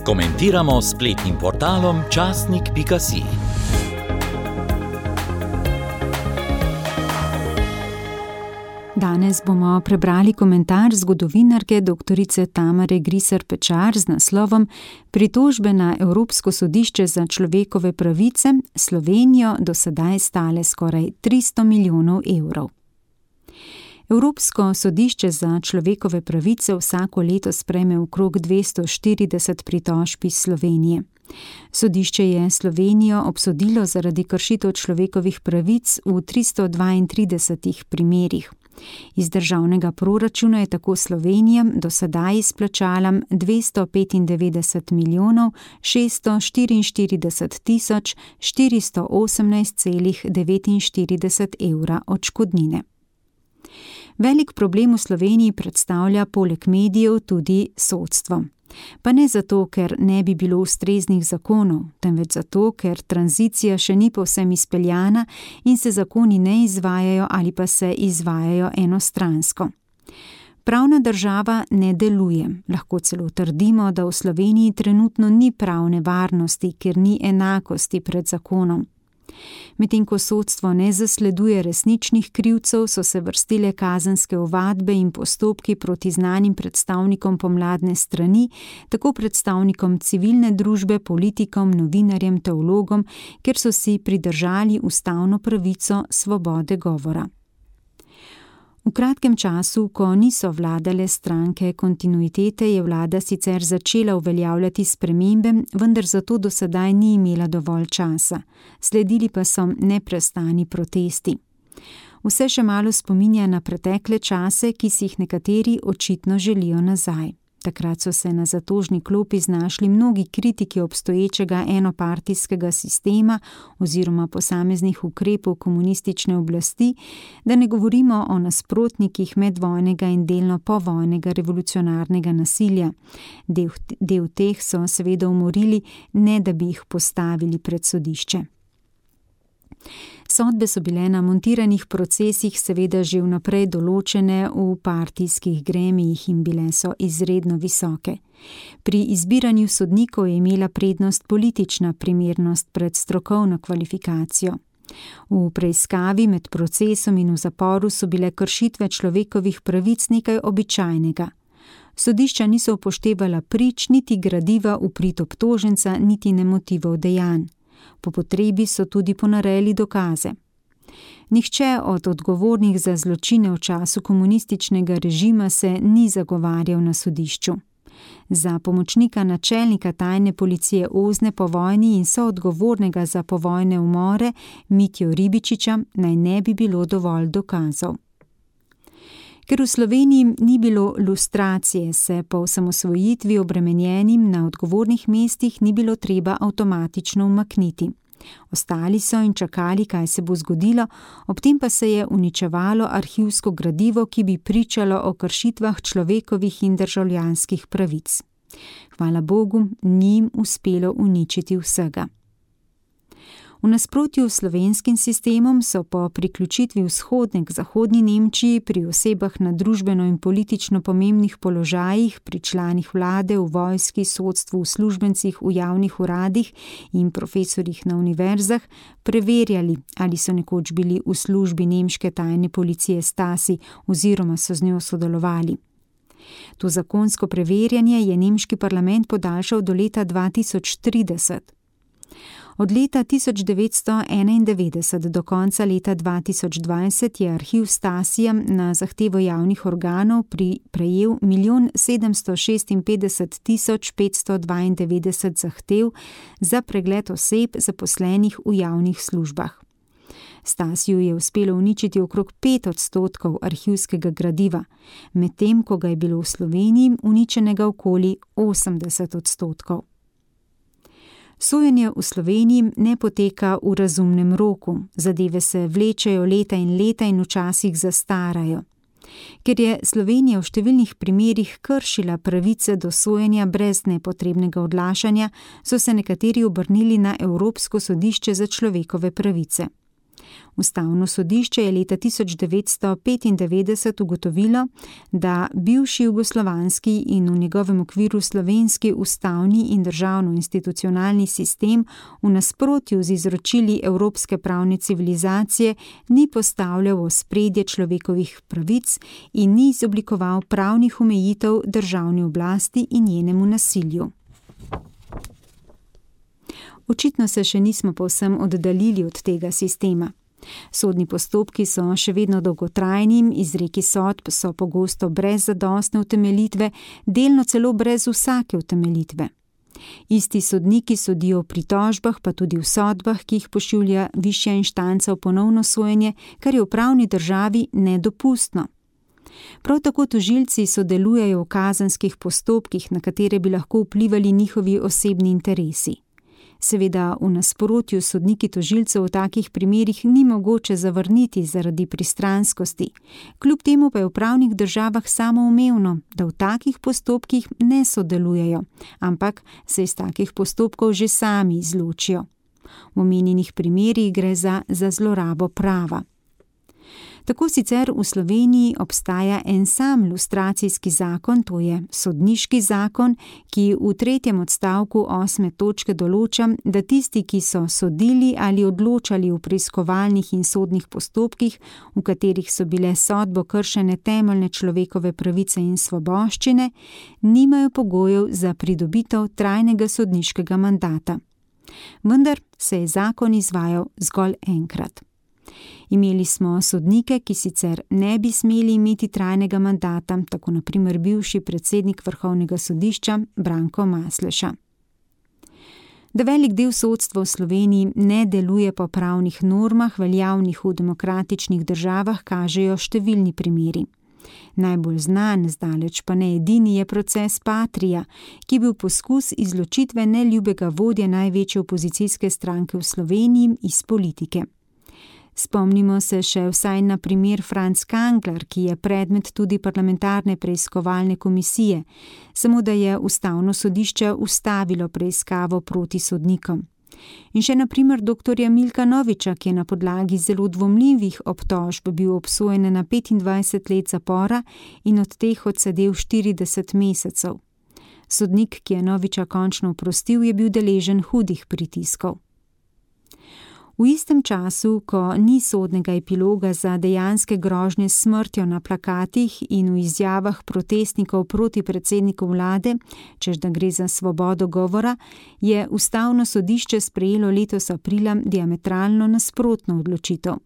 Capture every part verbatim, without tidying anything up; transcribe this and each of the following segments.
Komentiramo s spletnim portalom časnik pika si. Danes bomo prebrali komentar zgodovinarke doktorice Tamare Griser Pečar z naslovom Pritožbe na Evropsko sodišče za človekove pravice Slovenijo do sedaj stale skoraj tristo milijonov evrov. Evropsko sodišče za človekove pravice vsako leto sprejme okrog dvesto štirideset pritožb iz Slovenije. Sodišče je Slovenijo obsodilo zaradi kršitev človekovih pravic v tristo dvaintridesetih primerih. Iz državnega proračuna je tako Slovenija do sedaj izplačala dvesto petindevetdeset milijonov šeststo štiriinštirideset tisoč štiristo osemnajst celih devetinštirideset evra odškodnine. Velik problem v Sloveniji predstavlja poleg medijev tudi sodstvo. Pa ne zato, ker ne bi bilo ustreznih zakonov, temveč zato, ker tranzicija še ni povsem izpeljana in se zakoni ne izvajajo ali pa se izvajajo enostransko. Pravna država ne deluje. Lahko celo trdimo, da v Sloveniji trenutno ni pravne varnosti, ker ni enakosti pred zakonom. Medtem ko sodstvo ne zasleduje resničnih krivcev, so se vrstile kazenske ovadbe in postopki proti znanim predstavnikom pomladne strani, tako predstavnikom civilne družbe, politikom, novinarjem, teologom, ker so si pridržali ustavno pravico svobode govora. V kratkem času, ko niso vladale stranke kontinuitete, je vlada sicer začela uveljavljati spremembe, vendar zato do sedaj ni imela dovolj časa. Sledili pa so neprestani protesti. Vse še malo spominja na pretekle čase, ki si jih nekateri očitno želijo nazaj. Takrat so se na zatožni klopi znašli mnogi kritiki obstoječega enopartijskega sistema oziroma posameznih ukrepov komunistične oblasti, da ne govorimo o nasprotnikih medvojnega in delno povojnega revolucionarnega nasilja. Del, del teh so seveda umorili, ne da bi jih postavili pred sodišče. Sodbe so bile na montiranih procesih seveda že vnaprej določene v partijskih gremijih in bile so izredno visoke. Pri izbiranju sodnikov je imela prednost politična primernost pred strokovno kvalifikacijo. V preiskavi med procesom in v zaporu so bile kršitve človekovih pravic nekaj običajnega. Sodišča niso upoštevala prič, niti gradiva v prid obtoženca, niti ne motivov dejanj. Po potrebi so tudi ponarejali dokaze. Nihče od odgovornih za zločine v času komunističnega režima se ni zagovarjal na sodišču. Za pomočnika načelnika tajne policije Ozne po vojni in soodgovornega za povojne umore Mitjo Ribičiča naj ne bi bilo dovolj dokazov. Ker v Sloveniji ni bilo lustracije, se po osamosvojitvi obremenjenim na odgovornih mestih ni bilo treba avtomatično umakniti. Ostali so in čakali, kaj se bo zgodilo, ob tem pa se je uničevalo arhivsko gradivo, ki bi pričalo o kršitvah človekovih in državljanskih pravic. Hvala Bogu, ni jim uspelo uničiti vsega. V nasprotju s slovenskim sistemom so po priključitvi vzhodne k zahodni Nemčiji pri osebah na družbeno in politično pomembnih položajih, pri članih vlade, v vojski, sodstvu, uslužbencih, v javnih uradih in profesorjih na univerzah preverjali, ali so nekoč bili v službi nemške tajne policije Stasi oziroma so z njo sodelovali. To zakonsko preverjanje je nemški parlament podaljšal do leta dva tisoč trideset. Od leta tisoč devetsto enaindevetdeset do konca leta dva tisoč dvajset je arhiv Stasija na zahtevo javnih organov pri, prejel milijon sedemsto šestinpetdeset tisoč petsto dvaindevetdeset zahtev za pregled oseb zaposlenih v javnih službah. Stasiju je uspelo uničiti okrog pet odstotkov arhivskega gradiva, medtem ko ga je bilo v Sloveniji uničenega okoli osemdeset odstotkov. Sojenje v Sloveniji ne poteka v razumnem roku, zadeve se vlečejo leta in leta in včasih zastarajo. Ker je Slovenija v številnih primerih kršila pravice do sojenja brez nepotrebnega odlašanja, so se nekateri obrnili na Evropsko sodišče za človekove pravice. Ustavno sodišče je leta tisoč devetsto petindevetdeset ugotovilo, da bivši jugoslovanski in v njegovem okviru slovenski ustavni in državno-institucionalni sistem v nasprotju z izročili evropske pravne civilizacije ni postavljal v ospredje človekovih pravic in ni izoblikoval pravnih omejitev državni oblasti in njenemu nasilju. Očitno se še nismo povsem oddaljili od tega sistema. Sodni postopki so še vedno dolgotrajni, izreki sodb so pogosto brez zadostne utemeljitve, delno celo brez vsake utemeljitve. Isti sodniki sodijo v pritožbah, pa tudi v sodbah, ki jih pošilja višja inštanca v ponovno sojenje, kar je v pravni državi nedopustno. Prav tako tožilci sodelujejo v kazenskih postopkih, na katere bi lahko vplivali njihovi osebni interesi. Seveda v nasprotju sodniki tožilcev v takih primerih ni mogoče zavrniti zaradi pristranskosti. Kljub temu pa je v pravnih državah samoumevno, da v takih postopkih ne sodelujejo, ampak se iz takih postopkov že sami izločijo. V omenjenih primerih gre za, za zlorabo prava. Tako sicer v Sloveniji obstaja en sam lustracijski zakon, to je sodniški zakon, ki v tretjem odstavku osme točke določa, da tisti, ki so sodili ali odločali v preiskovalnih in sodnih postopkih, v katerih so bile sodbo kršene temeljne človekove pravice in svoboščine, nimajo pogojev za pridobitev trajnega sodniškega mandata. Vendar se je zakon izvajal zgolj enkrat. Imeli smo sodnike, ki sicer ne bi smeli imeti trajnega mandata, tako na primer bivši predsednik Vrhovnega sodišča Branko Masleša. Da velik del sodstva v Sloveniji ne deluje po pravnih normah, veljavnih v demokratičnih državah, kažejo številni primeri. Najbolj znan, zdaleč pa ne edini, je proces Patria, ki je bil poskus izločitve neljubega vodje največje opozicijske stranke v Sloveniji iz politike. Spomnimo se še vsaj na primer Franc Kangler, ki je predmet tudi parlamentarne preiskovalne komisije, samo da je ustavno sodišče ustavilo preiskavo proti sodnikom. In še na primer doktorja Milka Noviča, ki je na podlagi zelo dvomljivih obtožb bil obsojen na petindvajset let zapora in od teh odsedel štirideset mesecev. Sodnik, ki je Noviča končno oprostil, je bil deležen hudih pritiskov. V istem času, ko ni sodnega epiloga za dejanske grožnje s smrtjo na plakatih in v izjavah protestnikov proti predsedniku vlade, češ da gre za svobodo govora, je ustavno sodišče sprejelo letos aprila diametralno nasprotno odločitev.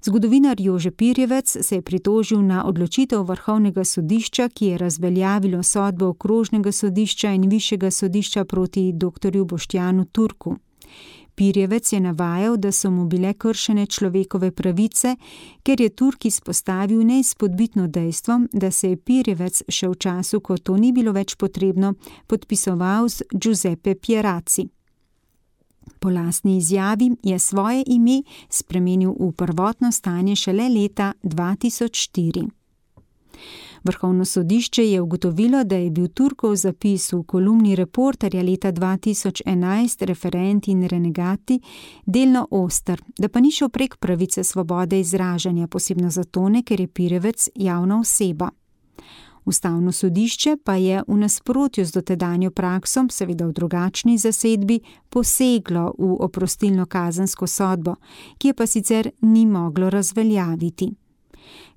Zgodovinar Jože Pirjevec se je pritožil na odločitev Vrhovnega sodišča, ki je razveljavilo sodbo Okrožnega sodišča in Višjega sodišča proti doktorju Boštjanu Turku. Pirjevec je navajal, da so mu bile kršene človekove pravice, ker je Turk izpostavil neizpodbitno dejstvo, da se je Pirjevec še v času, ko to ni bilo več potrebno, podpisoval z Giuseppe Pierazzi. Po lastni izjavi je svoje ime spremenil v prvotno stanje šele leta dva tisoč štiri. Vrhovno sodišče je ugotovilo, da je bil Turkov zapis v kolumni Reporterja leta dva tisoč enajst Referenti in renegati delno oster, da pa ni šel prek pravice svobode izražanja, posebno zato ne, ker je Pirjevec javna oseba. Ustavno sodišče pa je v nasprotju z dotedanjo prakso, seveda v drugačni zasedbi, poseglo v oprostilno kazensko sodbo, ki je pa sicer ni moglo razveljaviti.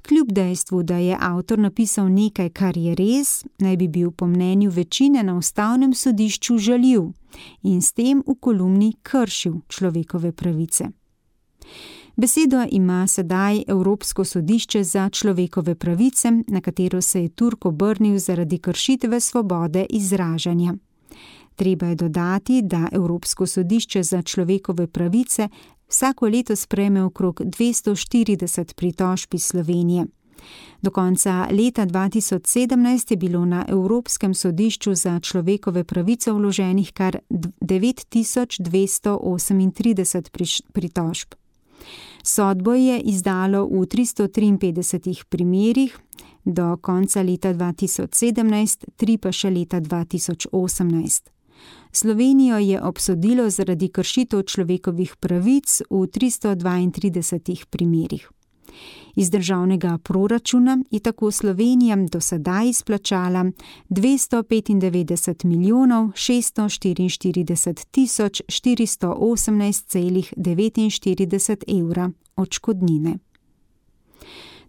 Kljub dejstvu, da je avtor napisal nekaj, kar je res, naj bi bil po mnenju večine na ustavnem sodišču žaljiv in s tem v kolumni kršil človekove pravice. Besedo ima sedaj Evropsko sodišče za človekove pravice, na katero se je Turk obrnil zaradi kršitve svobode izražanja. Treba je dodati, da Evropsko sodišče za človekove pravice vsako leto sprejme okrog dvesto štirideset pritožb iz Slovenije. Do konca leta dva tisoč sedemnajst je bilo na Evropskem sodišču za človekove pravice vloženih kar devet tisoč dvesto osemintrideset pritožb. Sodbo je izdalo v tristo triinpetdesetih primerih, do konca leta dva tisoč sedemnajst, tri pa še leta dva tisoč osemnajst. Slovenijo je obsodilo zaradi kršitev človekovih pravic v tristo dvaintridesetih primerih. Iz državnega proračuna je tako Slovenija do sedaj izplačala dvesto petindevetdeset milijonov šeststo štiriinštirideset tisoč štiristo osemnajst celih devetinštirideset evra odškodnine.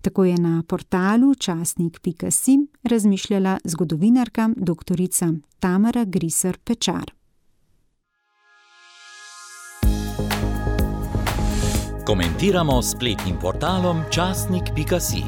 Tako je na portalu časnik pika si razmišljala zgodovinarka doktorica Tamara Griser Pečar. Komentiramo s spletnim portalom časnik pika si.